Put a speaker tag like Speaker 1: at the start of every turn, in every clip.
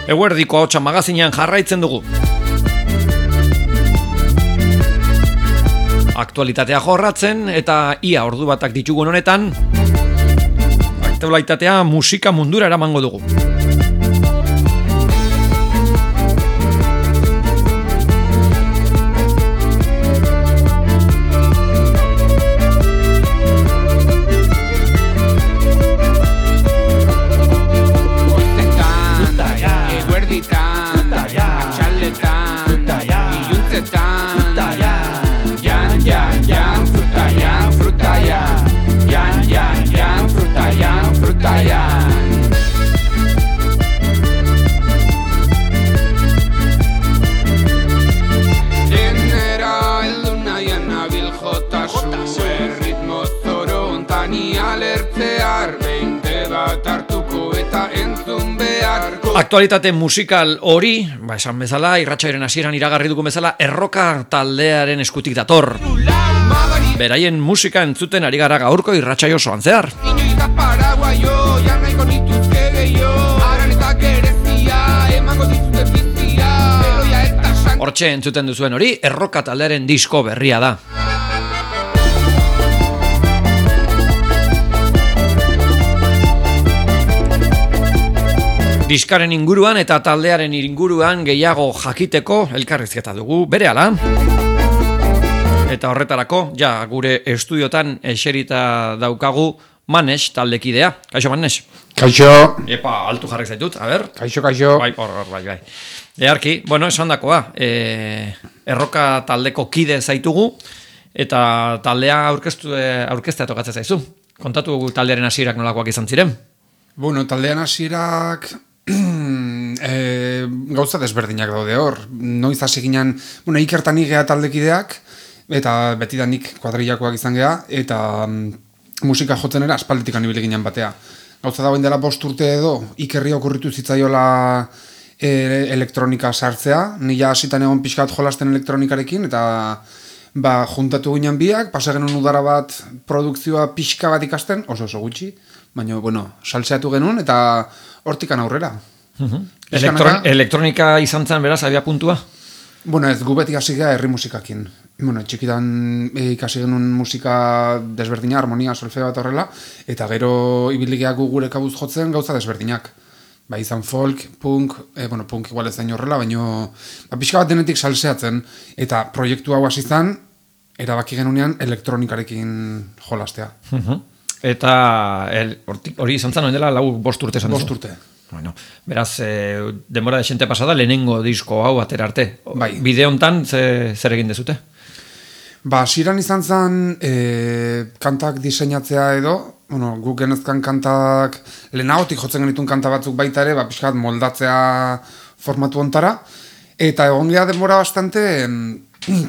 Speaker 1: Eguerdiko Ahotsa magazinean jarraitzen dugu. Aktualitatea jorratzen eta ia ordu batak ditugun honetan, aktualitatea musika mundura eramango dugu. Aktualitate musikal hori, esan bezala, irratsaioaren hasieran iragarri dugun bezala, erroka taldearen eskutik dator. Beraien musika entzuten ari gara gaurko irratsaio osoan zehar. Hortxe entzuten duzuen hori, erroka taldearen disko berria da. Diskaren inguruan eta taldearen inguruan gehiago jakiteko elkarrizketa dugu berehala. Eta horretarako, gure estudiotan eserita daukagu Manes taldekidea. Kaixo, Manes?
Speaker 2: Kaixo.
Speaker 1: Epa, altu jarrik zaitut, a ber?
Speaker 2: Kaixo.
Speaker 1: Bai. Earki, esandakoa, erroka taldeko kide zaitugu, eta taldea aurkeztea tokatzen zaizu. Kontatu taldearen hasierak nolakoak izan ziren?
Speaker 2: Taldean hasierak gauza desberdinak daude hor. Noiz hasi ginen, Ikertan igea taldekideak, eta betidanik kuadrillakoak izan gea, eta musika jotzen era aspalditik anibili ginen batea. Gauza dagoen dela 5 urte edo, Ikerri okurritu zitzaiola elektronika sartzea, nila hasitan egon pixkat jolasten elektronikarekin, eta juntatu ginen biak, pasa genuen udara bat produkzioa pixka bat ikasten, oso gutxi, baina, salseatu genuen, eta hortikan aurrera.
Speaker 1: Elektronika izan zen, beraz, abia puntua?
Speaker 2: Ez gu beti hasi gea herri musikakin. Txikitan ikasi genuen musika desberdina, harmonia, solfeo bat horrela, eta gero ibiligeak gure kabuz jotzen gauza desberdinak. Izan folk, punk, punk igual ez dain horrela, baina pixka bat denetik salseatzen, eta proiektu hau hasi zen, erabaki genunean elektronikarekin jolastea.
Speaker 1: Eta hori izan zen, dela 5 urte esan duzu?
Speaker 2: 5 urte.
Speaker 1: Beraz, denbora desente pasada, lehenengo disko hau atera arte. Bide hontan, zer egin dezute?
Speaker 2: Hasieran izan zen kantak diseinatzea edo, guk genezkan kantak, lehenagotik jotzen genituen kanta batzuk baita ere, pixkat moldatzea formatu ontara, eta egon geha denbora bastante,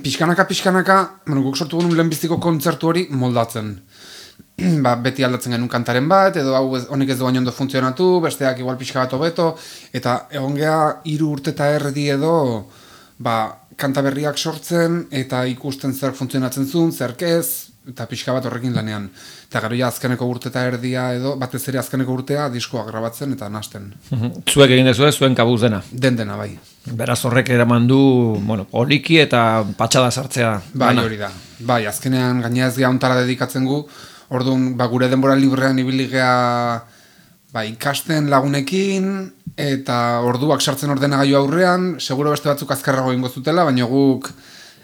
Speaker 2: pixkanaka, guk sortu genuen lehenbiztiko kontzertu hori moldatzen. Beti aldatzen genuen kantaren bat, edo honek ez duain ondo funtzionatu, besteak igual pixka bat hobeto, eta egon geha 3 urte eta erdi edo, kanta berriak sortzen, eta ikusten zer funtzionatzen zuen, zerkez, eta pixka bat horrekin lanean. Eta gero azkeneko urte eta erdia edo, batez ere azkeneko urtea diskoa grabatzen eta nasten.
Speaker 1: Zuek egin dezue, zuen kabuz dena?
Speaker 2: Dena, bai.
Speaker 1: Beraz horrek eraman du, poliki eta patxada sartzea.
Speaker 2: Hori da. Azkenean gaina ez geha ontara dedikatzen gu, orduan, gure denbora librean ibili gea ikasten lagunekin, eta orduak sartzen ordenagailu aurrean, seguro beste batzuk azkarrago ingo zutela, baina guk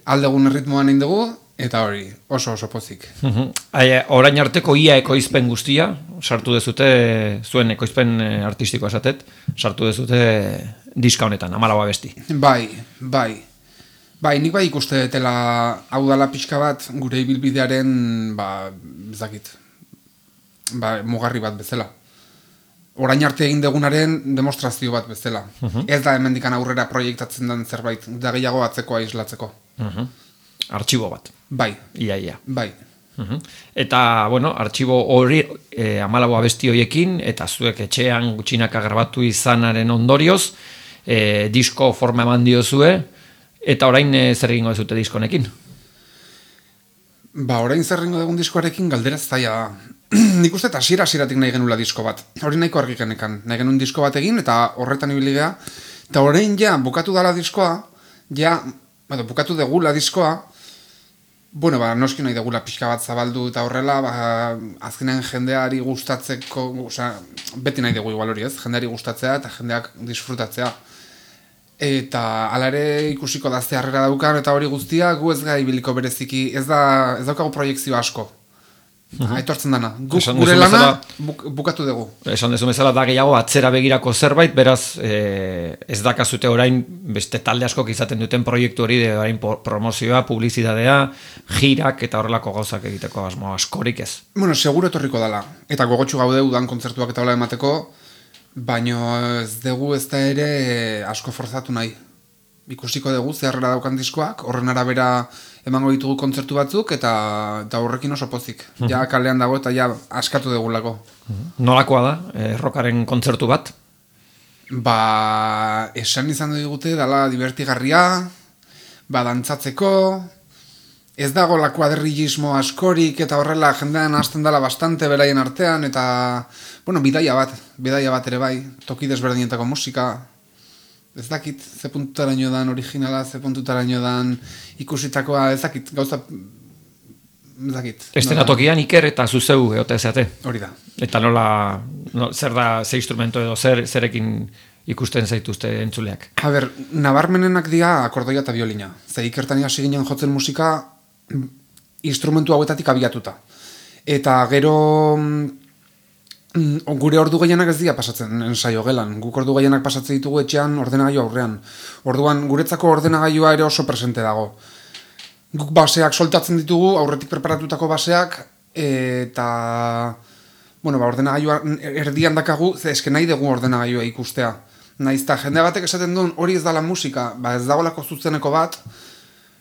Speaker 2: aldegun erritmoan egin dugu, eta hori, oso pozik.
Speaker 1: Orain arteko ia ekoizpen guztia, sartu dezute, zuen ekoizpen artistikoa esatet, sartu dezute diska honetan, 14 abesti.
Speaker 2: Nik ikuste dela hau dala pixka bat gure ibilbidearen, mugarri bat bezala. Orain arte egin degunaren demostrazio bat bezala. Ez da hemendikan aurrera proiektatzen den zerbait, da gehiago atzekoa islatzeko.
Speaker 1: Artxibo bat. Ia. Eta, artxibo hori 14 abesti horiekin, eta zuek etxean gutxinaka grabatu izanaren ondorioz, disko forma eman diozue, eta orain zer egingo dezute diskonekin?
Speaker 2: Orain zer egingo dugun diskoarekin galdera zaila da. nik uste eta hasieratik nahi genula disko bat. Hori nahiko argi genekan. Nahi genuen disko bat egin, eta horretan ibili gea. Eta orain ja, bukatu dala diskoa, bukatu degula diskoa, noski nahi degula pixka bat zabaldu eta horrela, azkenean jendeari gustatzeko, beti nahi dugu igual hori ez, jendeari gustatzea eta jendeak disfrutatzea. Eta alare ikusiko da zeharrera daukan eta hori guztia, gu ez gai biliko bereziki, ez daukagu proiektzio asko. Aitortzen dana. Gure lana bukatu dugu.
Speaker 1: Esan dezu bezala da gehiago atzera begirako zerbait, beraz ez dakazute orain beste talde askok izaten duten proiektu hori, orain promozioa, publizitatea, jirak eta horrelako gauzak egiteko asmo askorik ez.
Speaker 2: Seguro etorriko dela. Eta gogotsu gaude udan kontzertuak eta hola emateko, baino ez dugu ez da ere asko forzatu nahi. Ikusiko dugu zeharrera daukan diskoak, horren arabera emango ditugu kontzertu batzuk eta horrekin oso pozik. Ja kalean dago eta ja askatu dugulako.
Speaker 1: Nolakoa da, rockaren kontzertu bat?
Speaker 2: Esan izan digute, dala divertigarria, dantzatzeko, ez dago la kuadrillismo askorik eta horrela jendean hasten dala bastante beraien artean eta, bidaia bat ere bai, toki desberdinetako musika. Ez dakit, ze puntutaraino dan originala, ze puntutaraino dan ikusitakoa, ez dakit, gauza, ez dakit.
Speaker 1: Estenatokian Iker eta zuzeu eote zeate.
Speaker 2: Hori da.
Speaker 1: Eta zer da, ze instrumento edo zerekin ikusten zaituzte entzuleak?
Speaker 2: Nabarmenenak dira akordoia eta biolina. Ze Ikertania hasi ginen jotzen musika instrumentu hauetatik abiatuta. Eta gero gure ordu gehienak ez dira pasatzen ensaio gelan. Guk ordu gehienak pasatzen ditugu etxean ordenagailu aurrean. Orduan, guretzako ordenagailua ere oso presente dago. Guk baseak soltatzen ditugu, aurretik preparatutako baseak, eta ordenagailua erdian dakagu, eske nahi dugu ordenagailua ikustea. Naizta jende batek esaten duen hori ez dala musika, ez dagolako zuzeneko bat,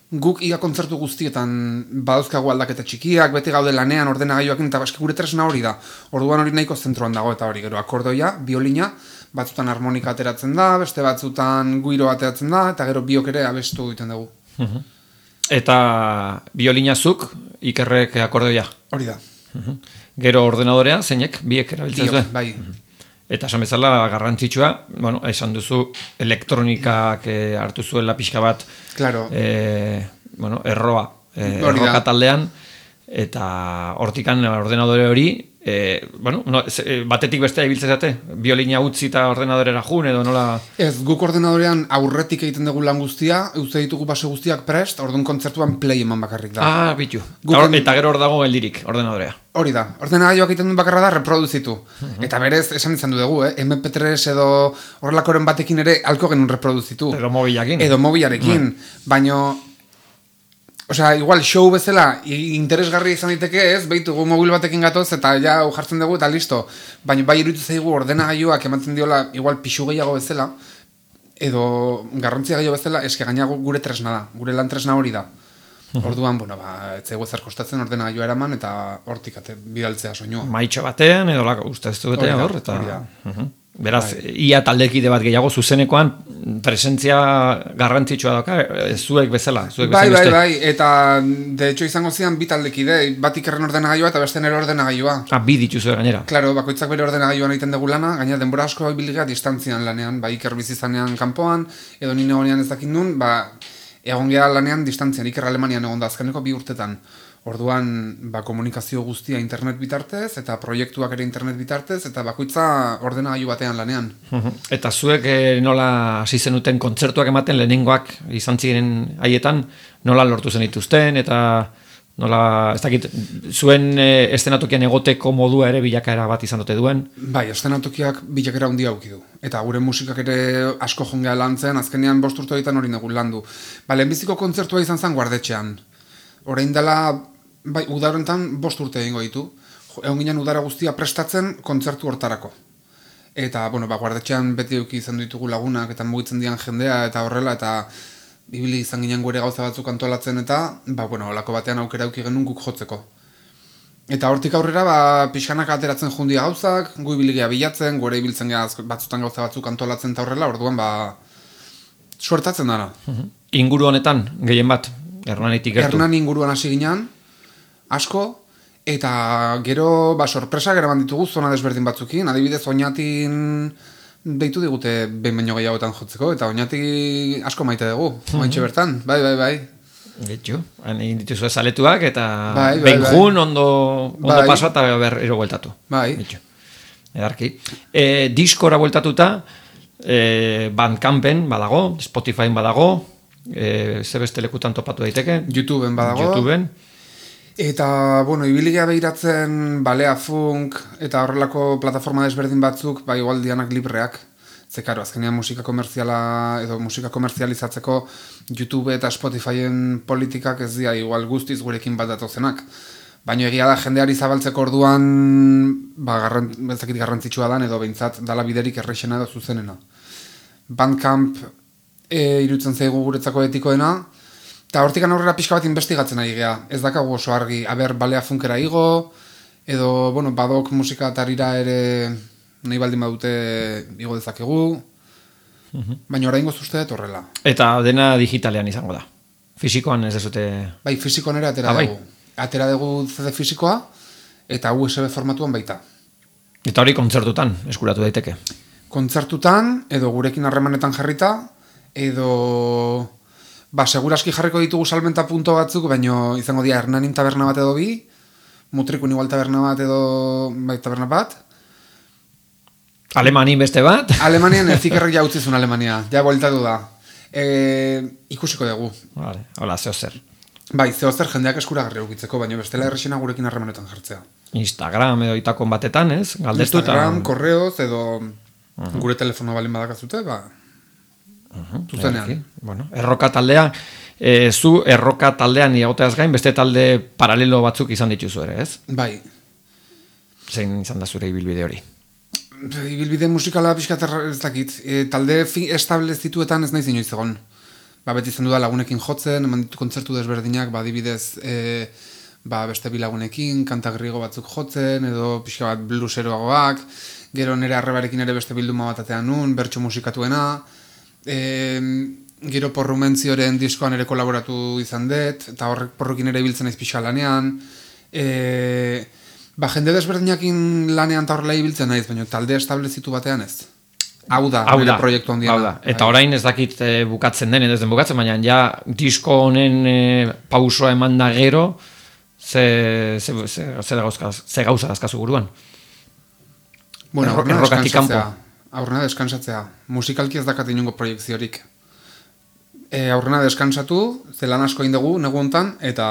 Speaker 2: guk ia kontzertu guztietan badauzkagu aldaketa txikiak, beti gaude lanean ordenagailuakin, eta gure tresna hori da. Orduan hori nahiko zentroan dago eta hori gero akordoia, biolina, batzutan harmonika ateratzen da, beste batzutan guiro ateratzen da, eta gero biok ere abestu egiten dugu.
Speaker 1: Eta biolinazuk, Ikerrek akordoia?
Speaker 2: Hori da.
Speaker 1: Gero ordenadorea, zeinek, biek erabiltzen zuen?
Speaker 2: Bai.
Speaker 1: Eta esan bezala garrantzitsua, esan duzu elektronikak hartu zuela pixka bat erroa taldean, eta hortikan ordenadore hori, batetik bestea ibiltzen zate, biolina utzi eta ordenadorera jun edo nola...
Speaker 2: Ez, guk ordenadorean aurretik egiten dugu lan guztia, euste ditugu base guztiak prest, orduan kontzertuan play eman bakarrik da.
Speaker 1: Bitu. Eta gero hor dago geldirik, ordenadorea.
Speaker 2: Hori da, ordenagailuak egiten duen bakarra da reproduzitu. Eta berez, esan izan dugu, MP3 edo horrelakoren batekin ere alko genuen reproduzitu.
Speaker 1: Edo mobilakin.
Speaker 2: Edo mobilarekin, baino... igual show bezala interesgarri izan diteke ez, behitugu mobil batekin gatoz eta ja jartzen dugu eta listo. Baina bai iruditu zaigu ordenagailuak ematen diola igual pixu gehiago bezala, edo garrantzia gehiago bezala, eske gainago gure tresna da, gure lan tresna hori da. Orduan, ez zaigu ezer kostatzen ordenagailua eraman eta hortik bidaltzea soinua.
Speaker 1: Maitxo batean, edo uste ez duetea hor, eta... Beraz, ia taldekide bat gehiago zuzenekoan presentzia garrantzitsua dauka, zuek bezala.
Speaker 2: Bai, eta de hecho izango zian bi taldekide, bat Ikerren ordenagailua eta beste nere ordenagailua.
Speaker 1: Bi dituzu gainera.
Speaker 2: Claro, bakoitzak bere ordenagailuan egiten dugu lana, gaina denbora asko ibilgea distantzian lanean, Iker bizizanean kanpoan, edo nire egonean ez dakit nun, egon gea lanean distantzian, Iker Alemanian egon da azkeneko 2 urtetan. Orduan, komunikazio guztia internet bitartez, eta proiektuak ere internet bitartez, eta bakoitza ordenagailu batean lanean.
Speaker 1: Eta zuek nola hasi zenuten kontzertuak ematen lehenengoak izan ziren haietan, nola lortu zen dituzten, eta nola, ez dakit, zuen estenatokian egoteko modua ere bilakaera bat izan dute duen?
Speaker 2: Bai, estenatokiak bilakaera handia auki du. Eta gure musikak ere asko jongea lantzen, azkenean 5 urte horietan hori negun landu. Lehenbiziko kontzertua izan zen Guardetxean. Orain dela, udarentan 5 urte egingo ditu. Egon ginen udara guztia prestatzen kontzertu hortarako. Eta, Guardetxean beti euki izan ditugu lagunak, eta mugitzen dian jendea, eta horrela, eta ibili izan ginen gure gauza batzuk antolatzen, eta, olako batean aukera euki genuen guk jotzeko. Eta hortik aurrera, pixkanak ateratzen jundia gauzak, gu ibiligea bilatzen, gure ibiltzen batzutan gauza batzuk antolatzen eta horrela, orduan, suertatzen dara.
Speaker 1: Inguru honetan, gehien bat? Hernan
Speaker 2: inguruan hasi ginen, asko, eta gero, sorpresa geraman ditugu zona desberdin batzukin, adibidez Oñatin deitu digute behin baino gehiagotan jotzeko, eta Oñati asko maite dugu, ointxe bertan, bai.
Speaker 1: Getxo, egin dituzu ezaletuak, eta behin jun ondo paso eta berriro bueltatu.
Speaker 2: Bai.
Speaker 1: Edarki. Diskora bueltatuta, Bandcampen badago, Spotifyen badago, ze beste lekutan topatu daiteke?
Speaker 2: YouTubeen badago. Eta, ibiligea behiratzen balea funk eta horrelako plataforma desberdin batzuk, igual dianak libreak. Ze, karo, azkenean musika komerziala edo musika komerzializatzeko YouTube eta Spotifyen politikak ez dira igual guztiz gurekin bat datozenak. Baina egia da jendeari zabaltzeko orduan beltzakit garrantzitsua dan edo behintzat dala biderik errexena edo zuzenena. Bandcamp irutzen zaigu guretzako etikoena, eta hortikan aurrera pixka bat investigatzen ari gea. Ez dakagu oso argi, balea funkera igo, edo, badok musika tarira ere nahi baldin badute igo dezakegu, baina oraingoz uste dut horrela.
Speaker 1: Eta dena digitalean izango da? Fisikoan ez dezute?
Speaker 2: Bai, fisikoan ere atera dugu. Atera dugu CD fisikoa, eta USB formatuan baita.
Speaker 1: Eta hori kontzertutan eskuratu daiteke?
Speaker 2: Kontzertutan, edo gurekin harremanetan jarrita, edo seguraski jarriko ditugu salmenta punto batzuk, baina izango dira Hernanin taberna bat edo bi, Mutrikun igual taberna bat edo taberna bat.
Speaker 1: Alemanin beste bat?
Speaker 2: Alemanian ezikerrek jautzizun Alemania, ja bueltatu da. Ikusiko dugu.
Speaker 1: Vale, hola, zehozer.
Speaker 2: Bai, zehozer jendeak eskuragarri eukitzeko, baina bestela errexena gurekin harremanetan jartzea.
Speaker 1: Instagram edo itakon batetan, ez? Galdetu
Speaker 2: Instagram, korreoz edo gure telefono balin badakazute, zuzenean.
Speaker 1: Erroka taldea, zu erroka taldean iagoteaz gain, beste talde paralelo batzuk izan dituzu ere, ez?
Speaker 2: Bai.
Speaker 1: Zein izan da zure ibilbide hori?
Speaker 2: Ibilbide musikala pixkat ez dakit. Talde establezituetan ez nahi inoiz egon. Beti izan du da lagunekin jotzen, eman ditu kontzertu desberdinak, adibidez beste bilagunekin, kanta griego batzuk jotzen, edo pixka bat blueseroagoak, gero nire arrebarekin ere beste bilduma bat atean nun, bertso musikatuena, gero porrumentzioren diskoan ere kolaboratu izan dut, eta horrek porrukin ere biltzen naiz pixka lanean, jende desberdinakin lanean eta horrela ibiltzen naiz, baina talde establezitu batean ez. Hau da, proiektu handiena.
Speaker 1: Eta orain ez dakit bukatzen den, ez den bukatzen, baina ja disko honen pausoa eman da gero, ze gauza dazkazu buruan?
Speaker 2: Aurrena deskansatzea. Musikalki ez dakat inungo proiektziorik. Aurrena deskansatu, zelan asko indegu, negu hontan, eta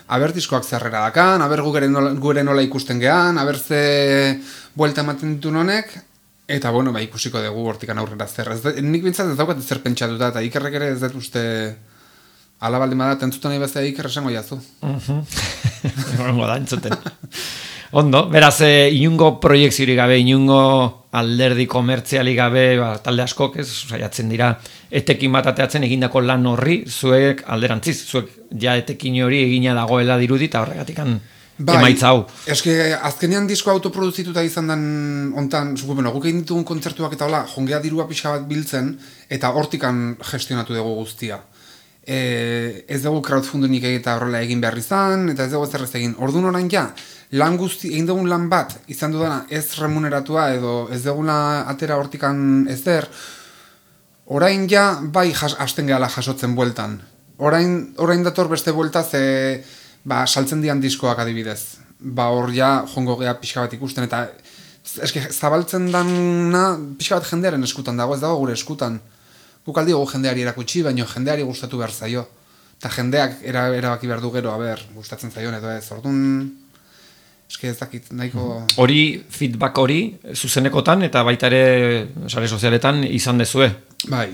Speaker 2: aber diskoak zerrera dakan, aber gure nola ikusten gean, aber ze buelta ematen ditun honek, eta ikusiko dugu hortikan aurrera zer. Nik bintzat ez daukat zer pentsatuta, eta Ikerrek ere ez dut uste ala baldin badat, entzuten nahi bezala Iker esango jazu.
Speaker 1: Egongo da, entzuten. Ondo, beraz, inungo proiektziorik gabe, inungo alderdi komertzialik gabe, talde askok, ez, saiatzen dira, etekin bat ateatzen egindako lan horri, zuek alderantziz, zuek ja etekin hori egina dagoela dirudi, eta horregatik emaitza hau.
Speaker 2: Eske, azkenean disko autoproduzituta izan den ontan, guk egin ditugun kontzertuak eta hola, jongea dirua pixka bat biltzen, eta hortikan gestionatu dugu guztia. Ez dugu crowdfunding eta horrela egin behar izan, eta ez dugu ez errez egin. Orduan orain ja, lan guzti, egin dugun lan bat, izan dudana ez remuneratua, edo ez dugula atera hortikan ezer, orain ja, hasten gehala jasotzen bueltan. Orain dator beste buelta, ze saltzen dian diskoak adibidez. Hor ja, jongo gea pixka bat ikusten, eta zabaltzen dana pixka bat jendearen eskutan dago, ez dago gure eskutan. Guk aldi gogu jendeari erakutsi, baina jendeari gustatu behar zaio. Eta jendeak erabaki behar du gero, gustatzen zaion edo ez. Orduan, ez dakit, nahiko...
Speaker 1: Hori, feedback hori, zuzenekotan eta baita ere sare sozialetan izan dezue.
Speaker 2: Bai.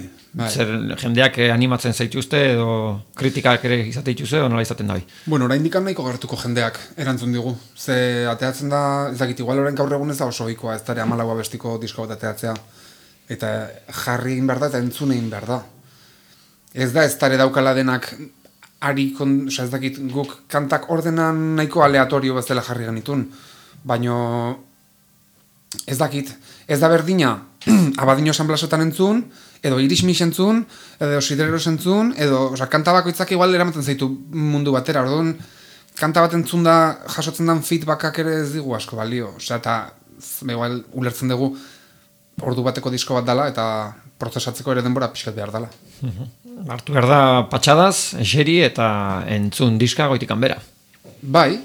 Speaker 1: Zer jendeak animatzen zaituzte edo kritikak ere izate dituzue edo nola izaten dabi?
Speaker 2: Orain dikan nahiko gertuko jendeak erantzun digu. Ze ateatzen da, ez dakit, igual orain gaur egun ez da oso ohikoa, ez dara 14 bestiko disko bat ateatzea. Eta jarri egin behar da eta entzun egin behar da. Ez da ez dara daukala denak ez dakit guk kantak ordenan nahiko aleatorio bezala jarri genitun. Baina ez dakit, ez da berdina Abadino San Blasotan entzun, edo Irismix entzun, edo Sidereros entzun, edo kanta bakoitzak igual eramaten zaitu mundu batera. Orduan, kanta bat entzun da jasotzen den feedbackak ere ez digu asko balio. Osea, eta igual ulertzen dugu ordu bateko disko bat dela eta prozesatzeko ere denbora pixkat behar dela.
Speaker 1: Hartu behar da patxadaz, eseri eta entzun diska goitikan bera.
Speaker 2: Bai.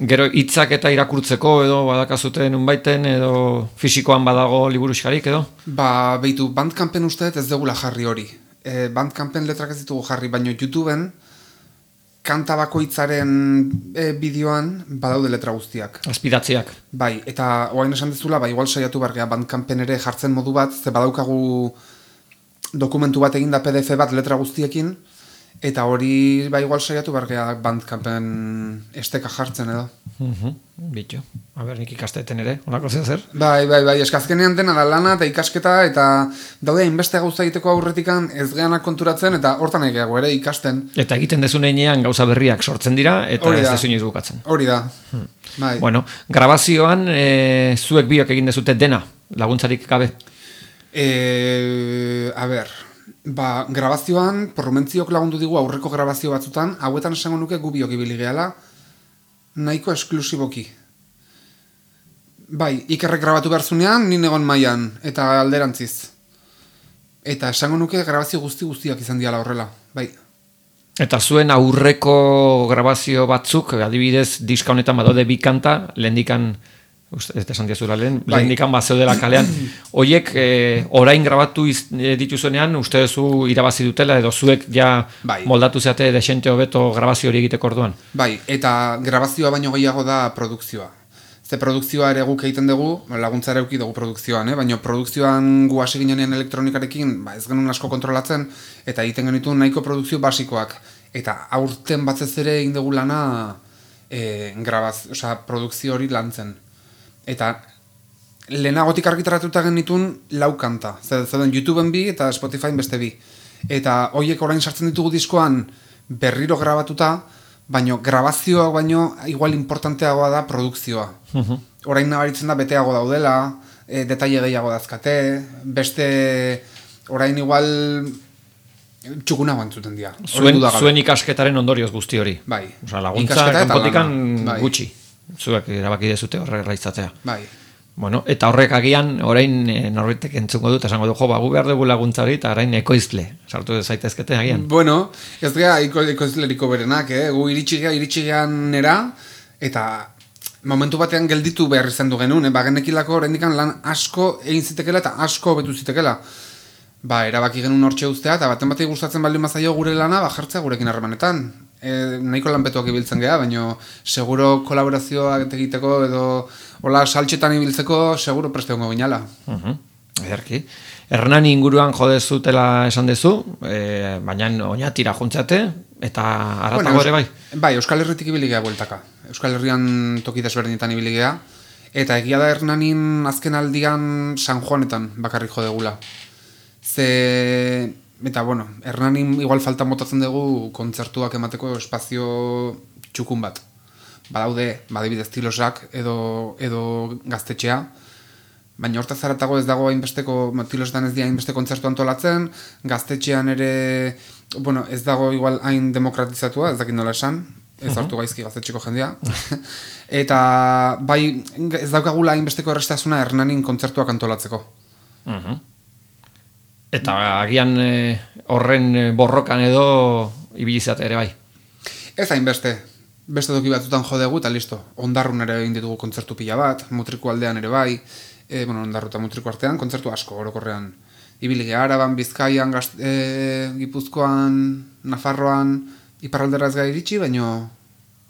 Speaker 1: Gero hitzak eta irakurtzeko edo badakazuten unbaiten edo fisikoan badago liburuxkarik edo?
Speaker 2: Beitu, Bandcampen usteet ez degula jarri hori. Bandcampen letrak ez ditugu jarri, baina YouTubeen kanta bakoitzaren bideoan badaude letra guztiak.
Speaker 1: Azpidatziak.
Speaker 2: Bai, eta oain esan dezula, igual saiatu bargea Bandcampen ere jartzen modu bat, ze badaukagu dokumentu bat eginda PDF bat letra guztiekin, eta hori igual saiatu bargea Bandcampen esteka jartzen edo.
Speaker 1: Bitu. Nik ikasteten ere, honako zer?
Speaker 2: Bai, eskazkenean dena da lana eta ikasketa, eta daude inbeste gauza egiteko aurretikan ez geanak konturatzen, eta hortan egeago ere ikasten.
Speaker 1: Eta egiten dezunean gauza berriak sortzen dira, eta ez dezu inoiz bukatzen.
Speaker 2: Hori da. Bai.
Speaker 1: Bueno, grabazioan zuek biok egin dezute dena, laguntzarik gabe?
Speaker 2: Grabazioan, Porrumentziok lagundu digu aurreko grabazio batzutan, hauetan esango nuke gu biok ibili gehala, nahiko esklusiboki. Bai, Ikerrek grabatu behar zunean, nien egon mailan, eta alderantziz. Eta esango nuke grabazio guztiak izan diala horrela, bai.
Speaker 1: Eta zuen aurreko grabazio batzuk, adibidez, diska honetan badaude bi kanta, lehendikan, ez esan diazula lehendikan bazeudela kalean, horiek orain grabatu dituzuenean, uste duzu irabazi dutela, edo zuek ja moldatu zeate desente hobeto grabazio hori egiteko orduan?
Speaker 2: Bai, eta grabazioa baino gehiago da produkzioa. Ze produkzioa ere guk egiten dugu, laguntza ere dugu produkzioan, baina produkzioan gu hasi ginean elektronikarekin ez genuen asko kontrolatzen, eta egiten genitu nahiko produkzio basikoak. Eta aurten batzez ere egin dugu lana produkzio hori lantzen. Eta lehenagotik argitaratuta genitun 4 kanta. Zaten YouTubeen 2 eta Spotifyen beste 2. Eta horiek orain sartzen ditugu diskoan berriro grabatuta, baina grabazioa baino igual importanteagoa da produkzioa. Orain nabaritzen da beteago daudela, detaile gehiago dazkate, beste orain igual txukunago entzuten dira.
Speaker 1: Zuen ikasketaren ondorioz guzti hori.
Speaker 2: Bai.
Speaker 1: Laguntza kanpotikan gutxi. Zuek erabaki dezute horre izatea.
Speaker 2: Bai.
Speaker 1: Bueno, eta horrek agian, orain norbaitek entzungo dut, esango du, gu behar dugu laguntza hori, eta orain ekoizle, sartu zaitezkete agian.
Speaker 2: Bueno, ez gara ekoizleriko berenak, gu iritsi gean nera, eta momentu batean gelditu behar izan du genuen, genekilako oraindikan lan asko egin zitekela eta asko betu zitekela. Erabaki genuen hortxe ustea, eta baten batei gustatzen baldin mazaio gure lana, jartzea gurekin harremanetan. Nahiko lanpetuak ibiltzen geha, baina seguro kolaborazioak egiteko edo hola saltxetan ibiltzeko seguro preste hongo ginala.
Speaker 1: Ederki. Hernani inguruan jodezutela esan dezu, baina oinatira juntzate, eta aratago ere bai?
Speaker 2: Bai, Euskal Herritik ibili geha bueltaka. Euskal Herrian toki desberdinetan ibili geha, eta egia da Hernanin azken aldian San Juanetan bakarrik jodegula. Eta, Hernanin igual falta motatzen dugu kontzertuak emateko espazio txukun bat. Badibidez Tilosak edo Gaztetxea, baina hortaz zaratago ez dago hainbesteko, Tilosetan ez dira hainbeste kontzertu antolatzen, Gaztetxean ere, ez dago igual hain demokratizatua, ez dakit nola esan, ez hartu gaizki Gaztetxeko jendea, eta ez daukagula hainbesteko errestasuna Hernanin kontzertuak antolatzeko.
Speaker 1: Eta agian horren borrokan edo ibilizate ere bai?
Speaker 2: Ez hainbeste. Beste toki batzutan jodegu eta listo. Ondarrun ere egin ditugu kontzertu pila bat, Mutriku aldean ere bai, Ondarru eta Mutriku artean, kontzertu asko orokorrean. Ibili geha Araban, Bizkaian, Gipuzkoan, Nafarroan, iparraldera ez gai iritsi, baina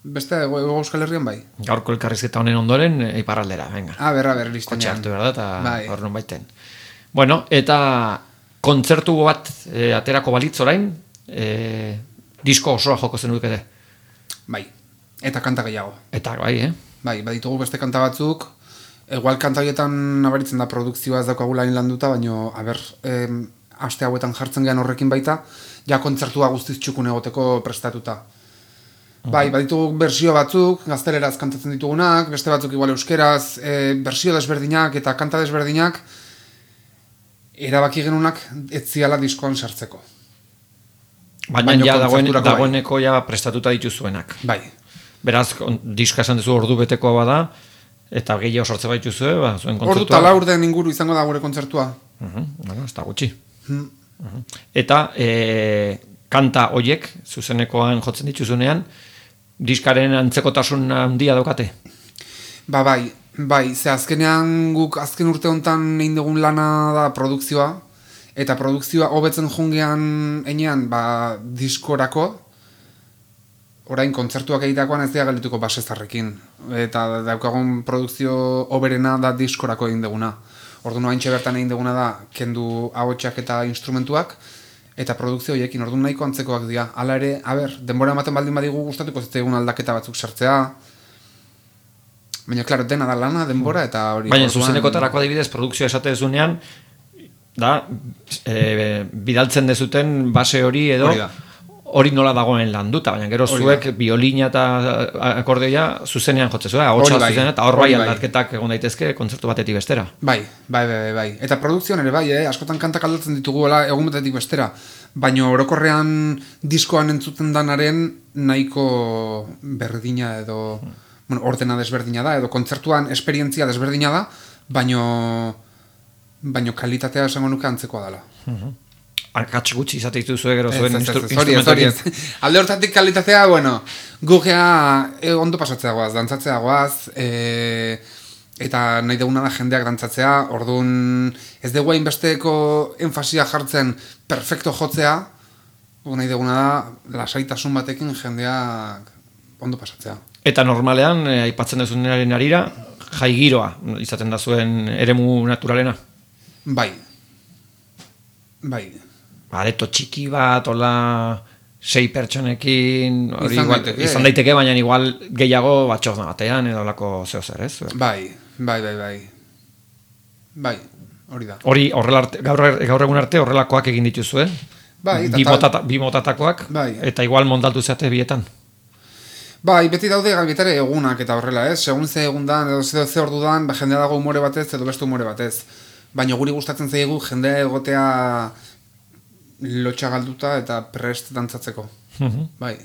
Speaker 2: beste Euskal Herrian bai.
Speaker 1: Gaurko elkarrizketa honen ondoren iparraldera, venga.
Speaker 2: Aber, listenean.
Speaker 1: Kotxe hartu behar da, eta hor non baiten. Bueno, eta kontzertu bat aterako balitz orain, disko osoa joko zen dukete.
Speaker 2: Bai, eta kanta gehiago.
Speaker 1: Eta bai,
Speaker 2: Bai, baditugu beste kanta batzuk, igual kanta horietan nabaritzen da produkzioa ez daukagula landuta, baina, aste hauetan jartzen gehan horrekin baita, ja kontzertua guztiz txukun egoteko prestatuta. Bai, baditugu bersio batzuk, gazteleraz kantatzen ditugunak, beste batzuk igual euskeraz, bersio desberdinak eta kanta desberdinak, erabaki genunak ez ziala diskoan sartzeko.
Speaker 1: Baina ja dagoeneko ja prestatuta dituzuenak.
Speaker 2: Bai.
Speaker 1: Beraz, diska esan duzu ordu betekoa bada, eta gehiago sortze baituzue, zuen kontzertua.
Speaker 2: Ordu tala urden inguru izango da gure kontzertua.
Speaker 1: Ez da gutxi. Eta kanta hoiek, zuzenekoan jotzen dituzunean, diskaren antzekotasun handia daukate?
Speaker 2: Bai, ze azkenean guk azken urte honetan egin dugun lana da produkzioa, eta produkzioa hobetzen jungean enean diskorako, orain kontzertuak egitakoan ez dira galituko basezarrekin, eta daukagun produkzio hoberena da diskorako egin duguna. Orduan haintxe bertan egin duguna da kendu ahotsak eta instrumentuak, eta produkzio horiekin orduan nahiko antzekoak dira. Hala ere, denbora ematen baldin badigu gustatuko zitzaigun aldaketa batzuk sartzea, baina, klaro, dena da lana, denbora, eta hori...
Speaker 1: Baina, zuzenekotarako adibidez, produkzioa esate dezunean, bidaltzen dezuten base hori edo... Hori nola dagoen landuta, baina gero zuek biolina eta akordeoia zuzenean jotzezue, ahotsa zuzenean, eta hor bai aldatketak egon daitezke kontzertu batetik bestera.
Speaker 2: Bai. Eta produkzioan ere bai, askotan kantak aldatzen ditugu egun batetik bestera, baina orokorrean diskoan entzuten danaren nahiko berdina edo, ordena desberdina da, edo kontzertuan esperientzia desberdina da, baina kalitatea esango nuke antzekoa dela.
Speaker 1: Akats gutxi izate dituzue gero zuen
Speaker 2: instrumentoekin. Alde hortatik kalitatea, gugea ondo pasatzea goaz, dantzatzea goaz, eta nahi duguna da jendeak dantzatzea, orduan ez dugu hainbesteko enfasia jartzen perfecto jotzea, nahi duguna da lasaitasun batekin jendeak ondo pasatzea.
Speaker 1: Eta normalean, aipatzen duzunaren arira, jaigiroa izaten da zuen eremu naturalena?
Speaker 2: Bai.
Speaker 1: Areto txiki bat, hola 6 pertsonekin, izan daiteke, baina igual gehiago batxorna batean edo lako zeo zer, ez?
Speaker 2: Bai, hori da.
Speaker 1: Hori, gaur egun arte horrelakoak egin dituzue?
Speaker 2: Bai.
Speaker 1: Bi motatakoak, eta igual montatu zeate bietan?
Speaker 2: Bai, beti daude gaibetare egunak eta horrela, ez? Segun ze egun dan, edo ze ordu dan, jendea dago umore batez edo beste umore batez. Baina guri gustatzen zaigu jendea egotea lotxa galduta eta prest dantzatzeko. Bai.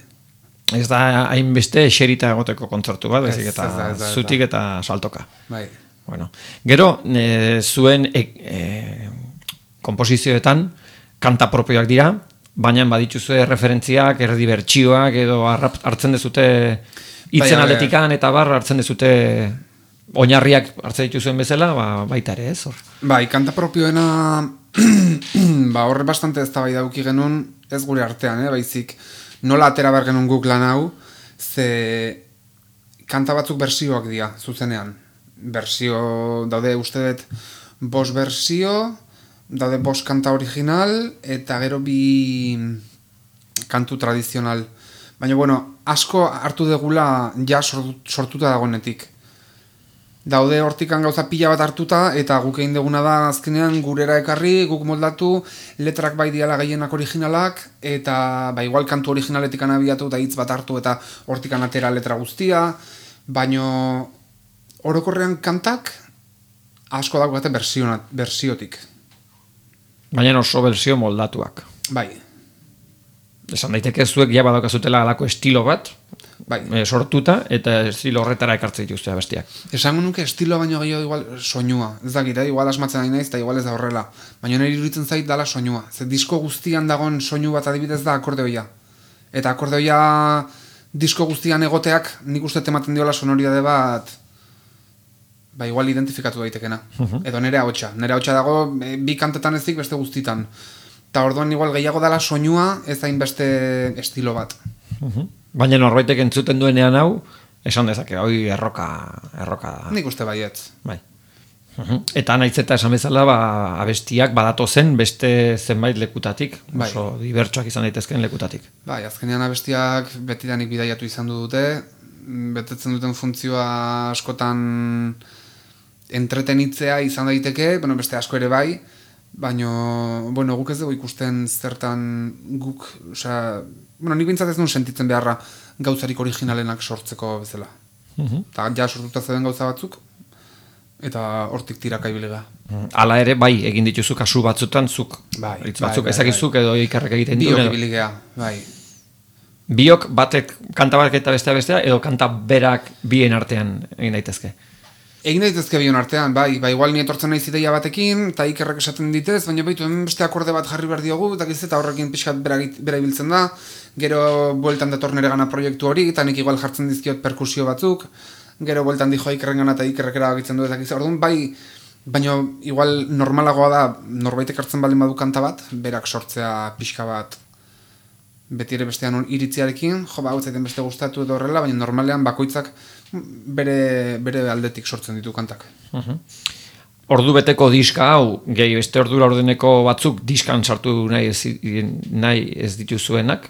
Speaker 1: Ez da hainbeste eserita egoteko kontzertu bat, eta zutik eta saltoka.
Speaker 2: Bai.
Speaker 1: Gero, zuen komposizioetan kanta propioak dira, baina badituzue referentziak, erdi bertsioak edo hartzen dezute hitzen aldetikan eta hartzen dezute oinarriak hartzen dituzuen bezala, baita ere ez hor.
Speaker 2: Bai, kanta propioena horre bastante ez da bai dauki genuen, ez gure artean, baizik nola atera behar genuen guk lan hau, ze kanta batzuk bersioak dira, zuzenean. Bersio, daude uste dut 5 bersio, daude 5 kanta original, eta gero 2 kantu tradizional. Baina, asko hartu degula ja sortuta dagoenetik. Daude hortikan gauza pila bat hartuta, eta guk egin duguna da azkenean gurera ekarri, guk moldatu, letrak bai diala gehienak originalak, eta igual kantu originaletikan abiatu eta hitz bat hartu eta hortikan atera letra guztia, baino orokorrean kantak asko daukate bersiotik.
Speaker 1: Baina oso bersio moldatuak.
Speaker 2: Bai.
Speaker 1: Esan daiteke zuek ja badaukazutela alako estilo bat, sortuta, eta estilo horretara ekartzen dituzte bestiak.
Speaker 2: Esango nuke estilo baino gehiago igual soinua. Ez dakit, igual asmatzen nahi naiz, eta igual ez da horrela. Baina nire iruditzen zait dala soinua. Ze disko guztian dagoen soinu bat adibidez da akordeoia. Eta akordeoia disko guztian egoteak nik uste ematen diola sonoridade bat igual identifikatu daitekena. Edo nire ahotsa. Nire ahotsa dago bi kantetan ezik beste guztitan. Eta orduan igual gehiago dala soinua ez hainbeste estilo bat.
Speaker 1: Baina norbaitek entzuten duenean hau, esan dezake, hoi erroka da.
Speaker 2: Nik uste baietz.
Speaker 1: Bai. Eta nahiz eta esan bezala, abestiak badatu zen beste zenbait lekutatik, oso dibertsuak izan daitezken lekutatik.
Speaker 2: Bai, azkenean abestiak betidanik bidaiatu izan dute, betetzen duten funtzioa askotan entretenitzea izan daiteke, beste asko ere bai, baina, guk ez dugu ikusten zertan guk, nik bintzat ez nuen sentitzen beharra gauzarik originalenak sortzeko bezala. Eta ja sortuta zeuden gauza batzuk, eta hortik tiraka ibilega.
Speaker 1: Hala ere, bai, egin dituzu kasu batzutan, zuk, hitz batzuk ezakizuk edo ikarrek egiten duen.
Speaker 2: Biok ibiligea, bai.
Speaker 1: Biok batek kanta bat eta bestea, edo kanta berak bien artean egin daitezke?
Speaker 2: Egin daitezke bion artean, bai, igual ni etortzen naiz ideia batekin, eta Ikerrek esaten ditez, baina baitu hemen beste akorde bat jarri behar diogu, eta horrekin pixkat bera ibiltzen da, gero bueltan dator nere gana proiektu hori, eta nik igual jartzen dizkiot perkusio batzuk, gero bueltan dijo Ikerren gana eta Ikerrek erabakitzen du ezak orduan, bai, baina igual normalagoa da, norbaitek hartzen baldin badu kanta bat, berak sortzea pixka bat, beti ere bestean iritziarekin, hau zaiten beste gustatu edo horrela, baina normalean bakoitzak bere aldetik sortzen ditu kantak.
Speaker 1: Ordu beteko diska hau, gehi beste ordura ordeneko batzuk diskan sartu nahi ez dituzuenak,